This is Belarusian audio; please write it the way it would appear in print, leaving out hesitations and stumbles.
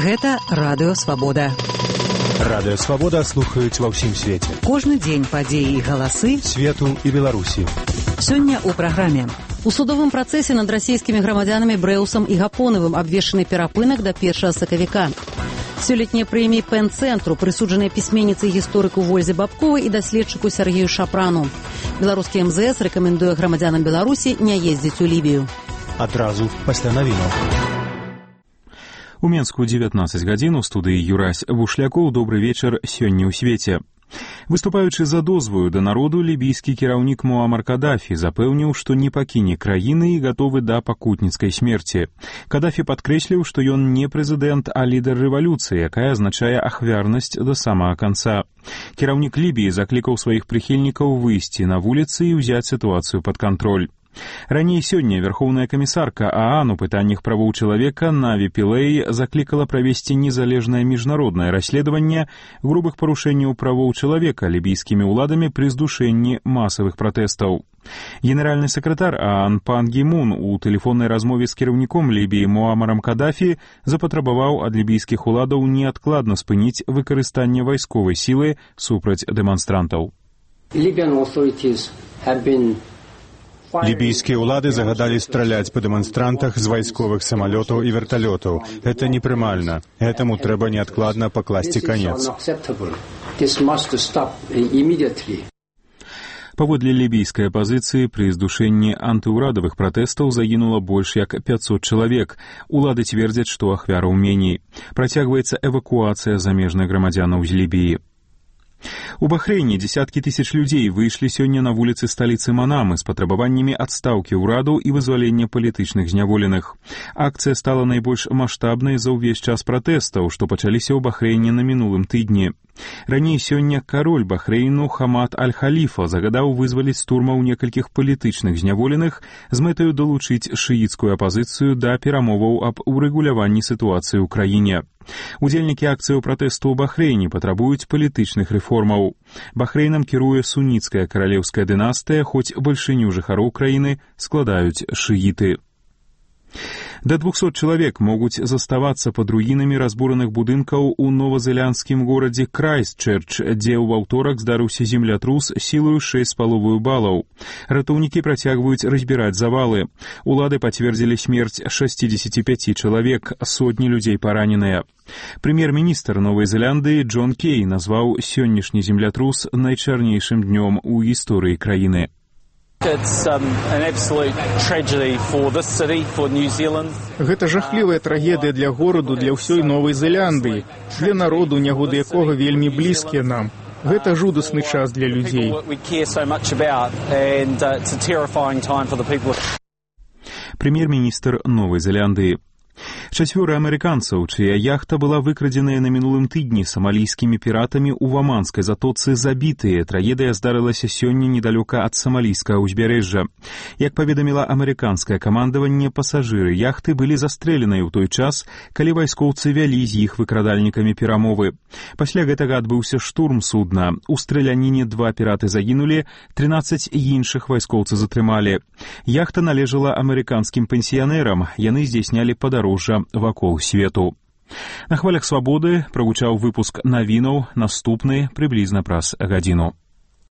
Гэта Радыё Свабода. Радыё Свабода слухаюць ва ўсім свеце. Кожны дзень падзеі і галасы свету і Беларусі. Сёння ў праграме. У судовым працэсе над расійскімі грамадзянамі Брэусам і Гапонавым абвешчаны перапынак да 1 сакавіка. Сёлетнія прэміі Пен-цэнтру прысуджаныя пісьменніцы і гісторыку Вользе Бабковай і даследчыку Сергею Шапрану. Беларускі МЗС рэкамендуе грамадзянам Беларусі не ездзіць у Лібію. Адразу пасля навінаў. У Менску 19 гадзін у студыі Юрась Бушлякоў. Добры вечар сёння ў свеце. Выступаючы за дозваю да народу, лібійскі кіраўнік Муамар Кадафі запэўніў, што не пакіне краіны і гатовы да пакутніцкай смерці. Кадафі падкрэсліў, што ён не прэзідэнт, а лідар рэвалюцыі, якая азначае ахвярнасць да самага канца. Кіраўнік Лібіі заклікаў сваіх прыхільнікаў выйсці на вуліцы і ўзяць сітуацыю пад кантроль. Раней сёння Верховная камісарка ААН у пытаннях правоў чалавека Наві Пілэй заклікала правесці незалежнае міжнароднае расследаванне грубых парушэнняў правоў чалавека лібійскімі ўладамі пры здушэнні масавых пратэстаў. Генеральны сакратар ААН Пан Гі Мун у тэлефоннай размове з кіраўніком Лібіі Муамарам Кадафі запатрабаваў ад лібійскіх уладаў неадкладна спыніць выкарыстанне вайсковай сілы супраць дэманстрантаў. Лібійскія ўлады загадалі страляць па дэманстрантах з вайсковых самалётаў і верталётаў. Гэта непрымальна. Гэтаму трэба неадкладна пакласці канец. Паводле лібійскай апазіцыі пры здушэнні антыўрадавых пратэстаў загінула больш як 500 чалавек. Улады цвердзяць, што ахвяраў меней. Працягваецца эвакуацыя замежных грамадзянаў з Лібіі. У Бахрэйне дзесяткі тысяч людзей выйшлі сёння на вуліцы сталіцы Манамы з патрабаваннямі адстаўкі ўраду і вызвалення палітычных зняволеных. Акцыя стала найбольш маштабнай за ўвесь час пратэстаў, што пачаліся ў Бахрэйне на мінулым тыдні. Раней сёння кароль Бахрэйну Хамад Аль-Халіфа загадаў вызваліць з турмаў некалькіх палітычных зняволеных з мэтаю далучыць шыіцкую апазіцыю да перамоваў аб урэгуляванні сітуацыі ў краіне. Удзельнікі акцыяў пратэсту ў Бахрэйне патрабуюць палітычных рэформаў. Бахрэйнам кіруе суніцкая каралеўская дынастыя, хоць бальшыню жыхароў краіны складаюць шыіты. Да 200 чалавек могуць заставацца пад руінамі разбураных будынкаў у новазеландскім горадзе Крайстчэрч, дзе ў аўторак здарыўся землятрус сілаю 6,5 балаў. Ратоўнікі працягваюць разбіраць завалы. Улады пацвердзілі смерць 65 чалавек, сотні людзей параненыя. Прэм'ер-міністр Новай Зеландыі Джон Кей назваў сённяшні землятрус найчарнейшым днём у гісторыі краіны. Гэта жахлівая трагедыя для гораду, для ўсёй Новай Зеландыі, для народу, нягоды якога вельмі блізкія нам. Гэта жудасны час для людзей. Прэм'ер-міністр Новай Зеландыі. 4 амерыканцаў, чыя яхта была выкрадзеная на мінулым тыдні самалійскімі піратамі ў Ваманскай затоцы, забітыя. Трагедыя здарылася сёння недалёка ад самалійскага ўзбярэжжа. Як паведаміла амерыканскае камандаванне, пасажыры яхты былі застрэленыя ў той час, калі вайскоўцы вялі з іх выкрадальнікамі перамовы. Пасля гэтага адбыўся штурм судна. У страляніне 2 піраты загінулі, 13 іншых вайскоўцы затрымалі. Яхта належала амерыканскім пенсіянерам. Яны здзяйснялі падарожжа вакол свету. На хвалях свабоды прагучаў выпуск навінаў, наступны прыблізна праз гадзіну.